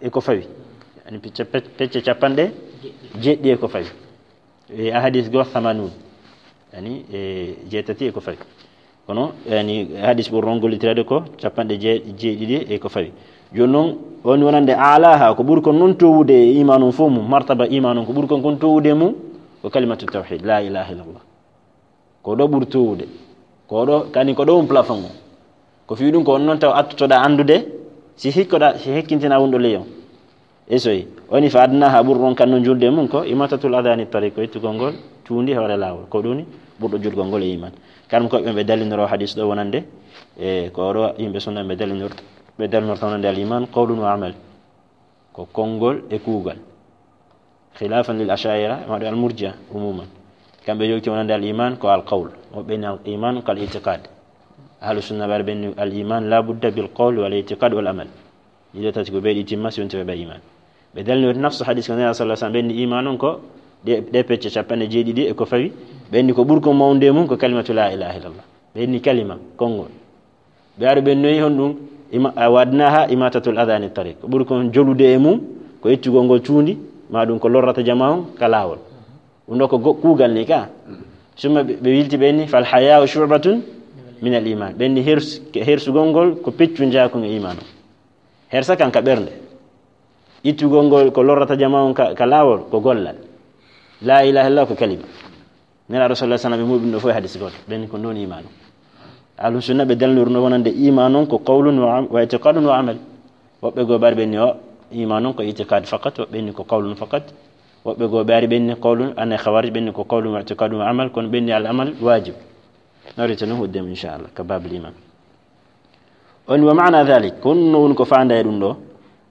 e ko fawi. Yani pecce, pe-, pecce capanɗe jeeɗiɗi e ko fawi. E, a hadis go thamanun. Yani, e, jeetati e ko fawi. Kono, yani, hadis ɓurɗo on gollitireede ko capanɗe jee-, jeeɗiɗi e ko fawi. Jooni non, on wonande alaha, ko ɓuri kon non towude e iman on fof mum, martaba iman on, ko ɓuri kon kon towude e mum, ko kalimatu tawhid, la ilaha illallah. Ko ɗo ɓuri towude. Ko ɗo, kani ko ɗo on plafond on. Ko fii ɗum ko on non taw attotoɗa anndude, si hikkoɗa, si hekkintina wonɗo ley on. Esoy, oni fa adnaha ɓurɗo on kan no julde mum ko imatatul adha anit tariq, ko ittugol ngol tuundi hoore laawol. Ko ɗum ni ɓurɗo julgol ngol e iman. Kamɓe ko ɓe, ɓe dallinoro hadis ɗo wonande, e ko ɗo yimɓe sunna ɓe dallinor-, ɓe dallinorta wonande al iman qawlun wa amal. Ko konngol e kuugal. Khilafan lil ashaira, e maɗo al murjia umuman. Kamɓe yewti wonande al iman ko al qawl. Woɓɓe ni al iman ko al itiqad. Ahlu sunna ɓe ɓenni al iman la budda bil qawl wal itiqad wal amal. Ɗiɗo tati ko ɓe ɗi timma si wonti ɓe iman. Ɓe dalni woti nafsu hadis ko Nulaaɗo sallallahu alaihi wasallam ɓenni iman on ko ɗe, ɗe pecce capanɗe jeeɗiɗi e ko fawi. Ɓenni ko ɓuri ko mawnde mum ko kalimatu la ilaha illallah. Ɓenni kalima, konngol. Ɓe ari ɓe noyi honɗum, ima-, a wadnaha imatatul adha anit tariq. Ko ɓuri kon jolude e mum, ko ittugol ngol tuundi, ma ɗum ko lorrata jama on ka laawol. Ɗum ɗo ko go-, kuugal ni ka. Summa ɓe, ɓe wilti ɓe ni, "Fal haya'u shu'batun min al iman." Ɓe ni hers-, hersugol ngol ko peccu njaakun e iman. Hersa kan ka ɓernde. Ittugol ngol ko lorrata jama on ka, ka laawol ko gollal. La ilaha illallah ko kalima. Nela Rasulullah sallallahu alaihi wasallam ɓe muɓin ɗo fof e hadis gooto. Ɓen ko non iman on. Ahlu sunna ɓe dalnor no wonande iman on ko qawlun wa am-, wa i'tiqadun wa amal. Woɓɓe goo ɓari ɓe ni o iman on ko i'tiqad faqat, woɓɓe ni ko qawlun faqat. Woɓɓe goo ɓari ɓe ni qawlun, ane khawarij ɓe ni ko qawlun wa i'tiqadun wa amal, kono ɓe ni al amal wajib. Narita no huddem inchallah ka babul iman. On wa ma'na dhalik, ko honno woni ko faanda e ɗum ɗo?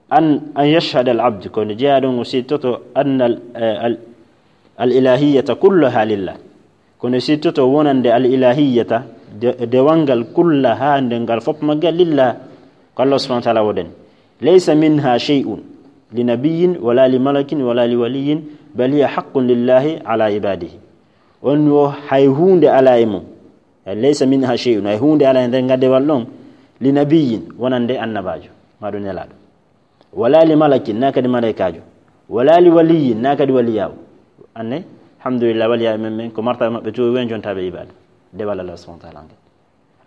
An, an yashhada al abd, ko nde jeyaaɗo ngo sittoto anna al, eh, al, al ilahiyata kullaha lillah. Ko nde sittoto wonande al ilahiyata, de-, dewal ngal kullaha nde ngal fof maggal lillah, ko Allah subhanahu wa ta'ala wodan. Laysa minha shay'un li nabiyyin wala li malakin wala li waliyyin, bal hiya haqqun lillahi ala ibadihi. On wo hay huunde ala e mum. Laysa minha shay'un, hay huunde ala e nder ngadewal ɗon, li nabiyyin, wonande annabaajo, ma ɗum nelaaɗo. Wala li malakin, na kadi malaykaajo. Wala li waliyyin, na kadi waliyaawo. Anne, alhamdulillah, waliyaaɓe men, men ko martaba maɓɓe to wen jontaaɓe ibaada. Dewal Allah subhanahu wa ta'ala ngal.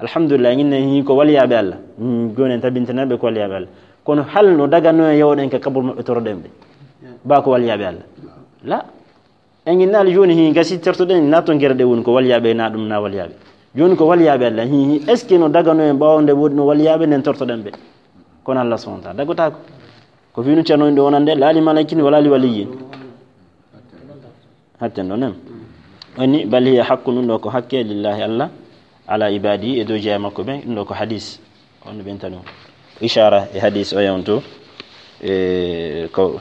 Alhamdulillah, ngin ne hi ko waliyaaɓe Allah. Mm, jooni en tabintinaaɓe ko waliyaaɓe Allah. Kono hal no dagano e yewɗen ka kabur maɓɓe toroɗen ɓe. Ba ko waliyaaɓe Allah. La. En innaali jooni, hi gasi tortoɗen, na to gere ɗe woni ko waliyaaɓe, na ɗum na waliyaaɓe. Jooni ko waliyaaɓe Allah, hi, hi, est-ce que no dagano en ɓaawo nde woodi no waliyaaɓe nden tortoɗen ɓe? Kono Allah subhanahu wa ta'ala dagotaako. Ko fii ɗum ceerno inɗo wonande, laa li malaikin wala li waliyyin. Hatten ɗo nem. Woni, bal hiya haqqun, ɗum ɗo ko hakke, lillahi Allah, ala ibadi, e dow jeya makko ɓe, ɗum ɗo ko hadis. On ɓenta ɗum. Ishara e hadis o yawto, e ko,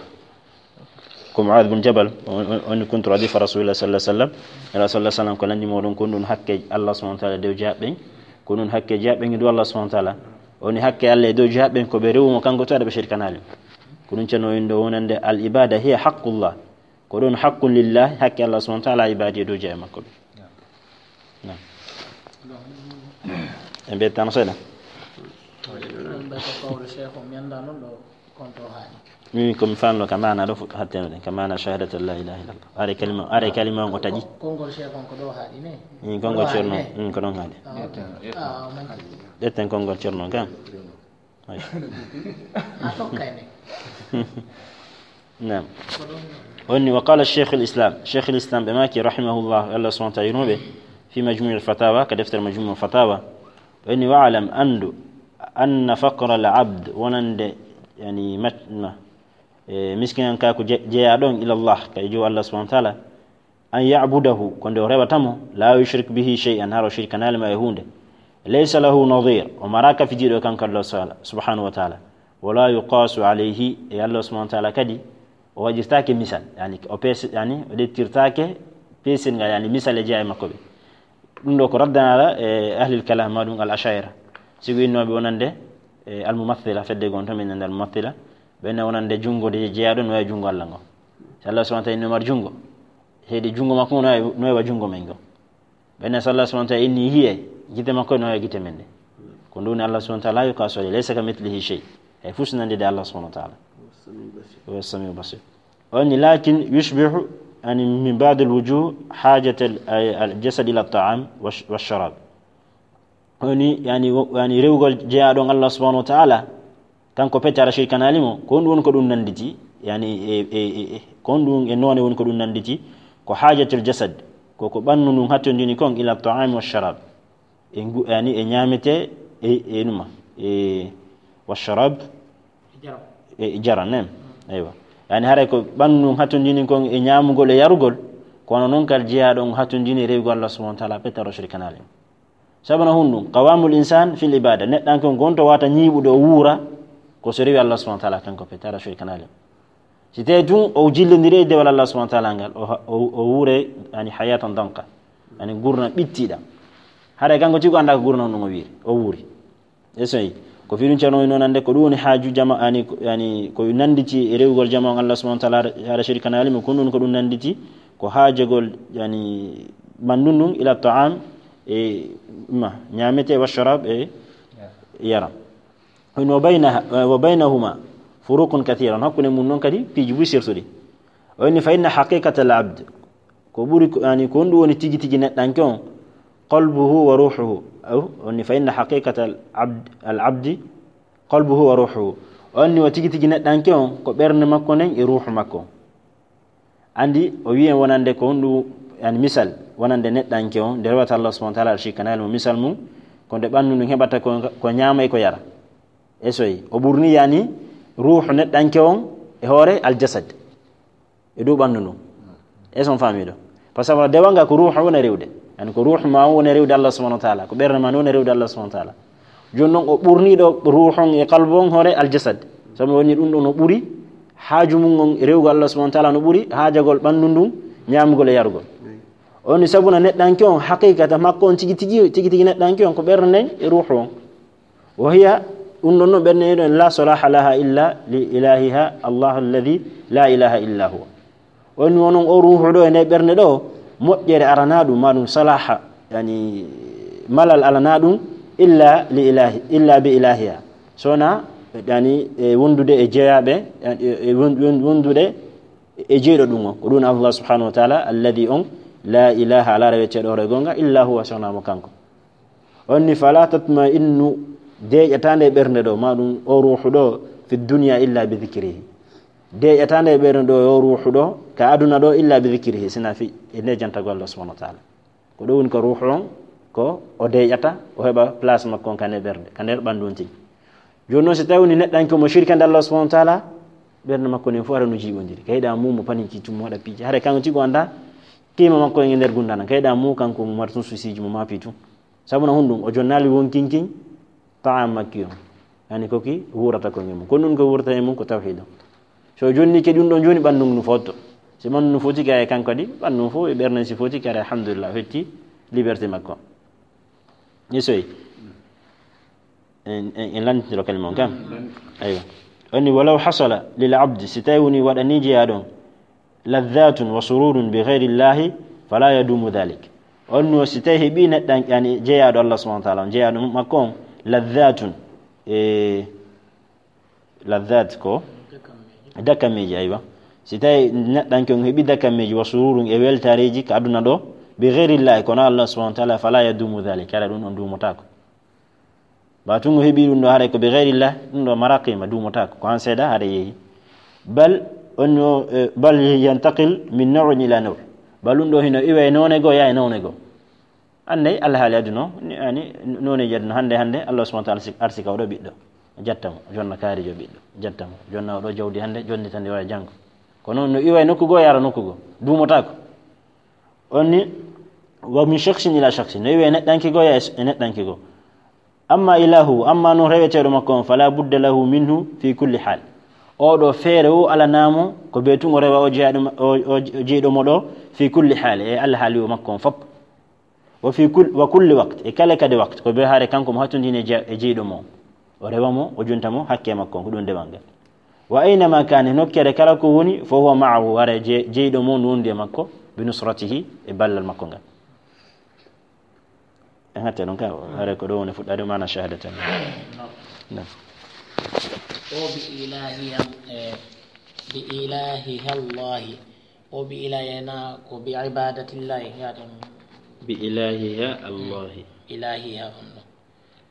ko Mu'adh bin Jabal, on, on, on kuntu radifa Rasulillah sallallahu alaihi wasallam. Rasulullah sallallahu alaihi wasallam ko lanndi moɗon ko ɗum hakke Allah subhanahu wa ta'ala dow jeyaɓe ɓen, ko ɗum hakke jeyaɓe ɓen e dow Allah subhanahu wa ta'ala. Woni hakke Allah e dow jeyaɓe ɓen ko ɓe rewu mo kanko to aɗa ɓe shirkanaali. Ko ɗum ceerno inɗo wonande al ibada hiya haqqullah. Ko ɗum haqqun lillah, hakke Allah subhanahu wa ta'ala ibadi e dow jeya makko ɓe. Naam. En ɓe tan seeɗa. Min ko mi fanno ka maana ɗo fu-, hatteno ɗen, ka maana shahadat la ilaha illallah. Are kalima, are kalima on o taƴi. Konngol Cheikh on ko ɗo haaɗi ne? Min konngol Ceerno, min ko ɗon haaɗi. Ƴetten konngol Ceerno kan. Ay. A tokkay ne. Naam. Woni, wa qala Cheikh al-Islam. Cheikh al-Islam ɓe maaki rahimahullah, Allah subhanahu wa ta'ala yurmo ɓe, fi Majmu' al-Fatawa, ka deftere Majmu' al-Fatawa. Woni, wa'lam, anndu, anna faqra al-abd, wonande, yani, mat-, ma, e, miskinan ka ko je-, jeyaɗon ila Allah, kay jo Allah subhanahu wa ta'ala, an ya'budahu, ko nde o rewata mo, la yushrik bihi shay'an, hara o shirkanaali ma e huunde. Laysa lahu nadir, o maraaka fijiiɗo kanko Allah sala-, subhanahu wa ta'ala. Wala yuqasu alayhi, e Allah subhanahu wa ta'ala kadi, o waɗirtaake misal, yani, o pes-, yani, o ƴettirtaake pesirngal, yani, misal e jeya e makko ɓe. Ɗum ɗo ko raddanaala e ahlil kalam, ma ɗum al ashaira. Sigo innooɓe wonande, e al mumathila, fedde gon to min nande al mumathila, ɓe ne wonande junngo de jeyaɗo no e junngo Allah ngo. Si Allah subhanahu wa ta'ala inno mar junngo, heedi junngo makko no e, no e wa junngo men ngo. Ɓen ne, so Allah subhanahu wa ta'ala inni yi'e, gite makko no e gite men ɗe. Ko ɗum woni Allah subhanahu wa ta'ala, la yuqasu alayhi, laysa kamithlihi shay. Hay fus nande de Allah subhanahu wa ta'ala. Wa samiu basir. Woni, lakin yushbihu, yani, min ba'd al wujuh hajat al, al jasad ila ta'am wa sh-, wa sharab. Woni, yani, wo-, yani, rewugol jeyaɗon Allah subhanahu wa ta'ala, kanko pete aɗa shirkanaali mo, ko honɗum woni ko ɗum nannditi? Yani, e, e, e, e, ko honɗum e noone woni ko ɗum nannditi? Ko haajatul jasad, ko ko ɓanndu ndun hattondini kon ila ta'ami wa sharab. E ngu-, yani, e ñaamete, e, e numa, e wa sharab, e jara, nem. Eywa. Yani, haray ko ɓanndu ndun hattondini kon e ñaamugol e yarugol, kono non kal jeyaɗon hattondini rewugol Allah subhanahu wa ta'ala, pete aɗa shirkanaali mo. Sabu na honɗum, qawamul insan fil ibada. Neɗɗanke on gonto wata ñiiɓude o wuura, ko so rewi Allah subhanahu wa ta'ala kanko pete, aɗa shirkanaali mo. Si tawi tun o jillondiri e dewal Allah subhanahu wa ta'ala ngal, o ha-, o, o wuure, yani, hayatan danka. Yani, gurna ɓittiɗa. Haray kanko tigi o annda ko gurna on ɗum o wiiri, o wuuri. E soyi, ko fii ɗum ceerno o woni noon annde ko ɗum woni haaju jama, yani, ko, yani, ko nannditi e rewugol jama on Allah subhanahu wa ta'ala, aɗa shirkanaali mo, ko ɗum, ko ɗum nannditi, ko haajagol, yani, ɓanndu ndun ila ta'am, e ma, ñaamete, wa sharab, e yara. Woni, wa bayna, wa baynahuma furuqun kathira. Hakkunde mun non kadi piiji buy sertuɗi. O woni, fa inna haqiqata al abd, ko ɓuri ko, yani, ko honɗum woni tigi tigi neɗɗanke on, qalbuhu wa ruhuhu. Aw, o woni, fa inna haqiqata al abd, al abdi, qalbuhu wa ruhuhu. O woni, o tigi tigi neɗɗanke on, ko ɓernde makko nden e ruuhu makko. Anndi, o wi'i en wonande ko honɗum, yani, misal, wonande neɗɗanke on, nde rewata Allah subhanahu wa ta'ala, aɗa shirkanaali mo, misal mum, ko nde ɓanndu ndun heɓata ko, ko ñaama e ko yara. E soyi, o ɓurni, yani, ruuhu neɗɗanke on e hoore al jasad, e dow ɓanndu ndun. Est-ce que on faami ɗo? Par ce que dewal ngal ko ruuhu woni rewde. Yani, ko ruuhu ma on woni rewde Allah subhanahu wa ta'ala, ko ɓernde ma on woni rewde Allah subhanahu wa ta'ala. Jooni non o ɓurni ɗo ruuhu on e qalbu on hoore al jasad. Sabu woni ɗum ɗo no ɓuri haaju mum on rewugol Allah subhanahu wa ta'ala, no ɓuri haajagol ɓanndu ndun ñaamugol e yarugol. O woni sabu na neɗɗanke on, haqiqata makko on tigi tigi, tigi tigi neɗɗanke on ko ɓernde nden e ruuhu on. Wa hiya, ɗum ɗon no ɓernde nden la salaha laha illa li ilahiha Allah alladhi la ilaha illa huwa. O woni wonon o ruuhu ɗo e nde ɓernde ɗo, moƴƴere aranaa ɗum, ma ɗum salaha, yani, malal alanaa ɗum, illa li ilahi, illa bi ilahiha. Sona, yani, e wondude e jeyaɓe, e, e won-, won-, wondude e jeyɗo ɗum o. Ko ɗum Allah subhanahu wa ta'ala, alladhi on, la ilaha, alaa reweteeɗo hoore gonga, illa huwa, sona mo kanko. On ni, fala tatma'innu, deeƴataa nde ɓernde ɗo, ma ɗum o ruuhu ɗo, fi dunya illa bi dhikrihi. Deeƴata nde ɓernde ɗo yo ruuhu ɗo ka aduna ɗo illa bi dhikrihi, sina fi e nde jantagol Allah subhanahu wa ta'ala. Ko ɗo woni ko ruuhu on ko o deeƴata, o heɓa place makko on ka nder ɓernde, ka nder ɓanndu on tigi. Jooni noon, si tawi woni neɗɗanke mo shirkande Allah subhanahu wa ta'ala, ɓernde makko nden fof hara no jiiɓondiri. Ka yiɗa mum mo paninki tum mo waɗa piiji. Hara kanko tigi o annda kiima makko e nder gundana. Ka yiɗa mum kanko mo mara tun susiiji mo maapi tun. Sabu na honɗum? O jonnaali wonkinkin ta'am makki on. Yani ko ki wuurata ko ngel mum. Kono ɗum ko wuurata e mum ko tawhiid on. So o jonni ke ɗum ɗon jooni, ɓanndu ngu no fotto. Si ɓanndu no foti kay kanko kadi, ɓanndu fof e ɓernde si foti kadi, alhamdulillah, o hetti liberté makko. Ni soyi. En, en, en lantitiro kalima on kam. Aywa. Onni walaw hasala lil abdi, si tawi woni waɗani jeyaaɗo on, ladhatun wa sururun bi ghayri llahi, fala yadumu dhalik. On no si tawi heɓi neɗɗan, yani jeyaaɗo Allah subhanahu wa ta'ala on, jeyaaɗo makko on, ladhatun, e ladhat ko dakamiiji, aywa. Si tawi neɗɗanke on heɓi dakamiiji wa sururun e weltareeji ka aduna ɗo, bi ghayri llahi, kono Allah subhanahu wa ta'ala, fala yadumu dhalik, kala ɗum on duumotako. Ba tun o heɓi ɗum ɗo haray ko bi ghayri llah, ɗum ɗo mara qima, duumotako, ko han seeɗa haray yehi. Bal, on o, eh, bal yantaqil min naw'in ila naw'. Bal ɗum ɗo hino iwa e noone goo, yaa e noone goo. Annday alhaali aduna o, ni, ani, nooneeji aduna, hannde, hannde, Allah subhanahu wa ta'ala si-, arsi ka oɗo ɓiɗɗo, jatta mo, jonna kaarijo ɓiɗɗo, jatta mo, jonna oɗo jawdi hannde, jonnita ndi wara janngo. Kono no iwa e nokku goo, yara nokku goo, duumotako. On ni, wa min shakhsin ila shakhsin, no iwa e neɗɗanke goo, yaa e s-, e neɗɗanke goo. Amma ilahu, amma no reweteeɗo makko on, fala budda lahu minhu fi kulli hal. Oɗo feere o alanamo, ko be tun o rewa o jeyaaɗo ma-, o, o, o jeyɗo mo ɗo, fi kulli hal, e alhaali o makko on fop. Wa fi kul-, wa kulli waqt, e kala kadi waqt, ko be haare kanko mo hattundini e je-, e jeyɗo mo. O rewa mo, o junta mo, hakke makko, ko ɗum dewal ngal. Wa aynama kana, nokkere kala ko woni, fa huwa ma'ahu, haare je-, jeyɗo mo no wondi e makko, bi nusratihi, e ballal makko ngal. En hatte ɗon ka, haare ko ɗo woni fuɗɗaade maana shahadatan. Naam. O bi ilahi, eh, bi ilahi Allahi. O bi ilahi na ko bi ibadatillahi, yaten. Bi ilahiha Allahi. Ilahiha on ɗo.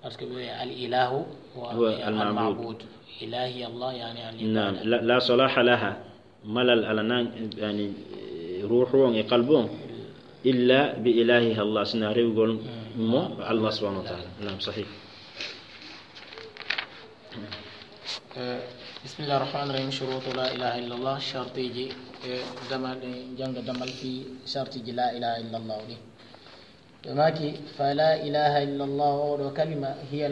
Parce que ɓe al ilahu wa Huwa al al ma'bud. Ma'bud. Ilahi Allah, yani al Naam, ibada. La, la salaha laha. Malal ala nan, yani, eh, ruuhu on e qalbu on. Illa bi ilahiha Allah, sina rewgol mo Allah subhanahu wa ta'ala. Naam, sahih. Eh, bismillah rahman rahim. Shurutu la ilaha illallah. Shartiji, eh, damal, eh, janga damal fi shartiji la ilaha illallah ɗi. Ɓe maaki, fa la ilaha illallah, oɗo kalima, hiya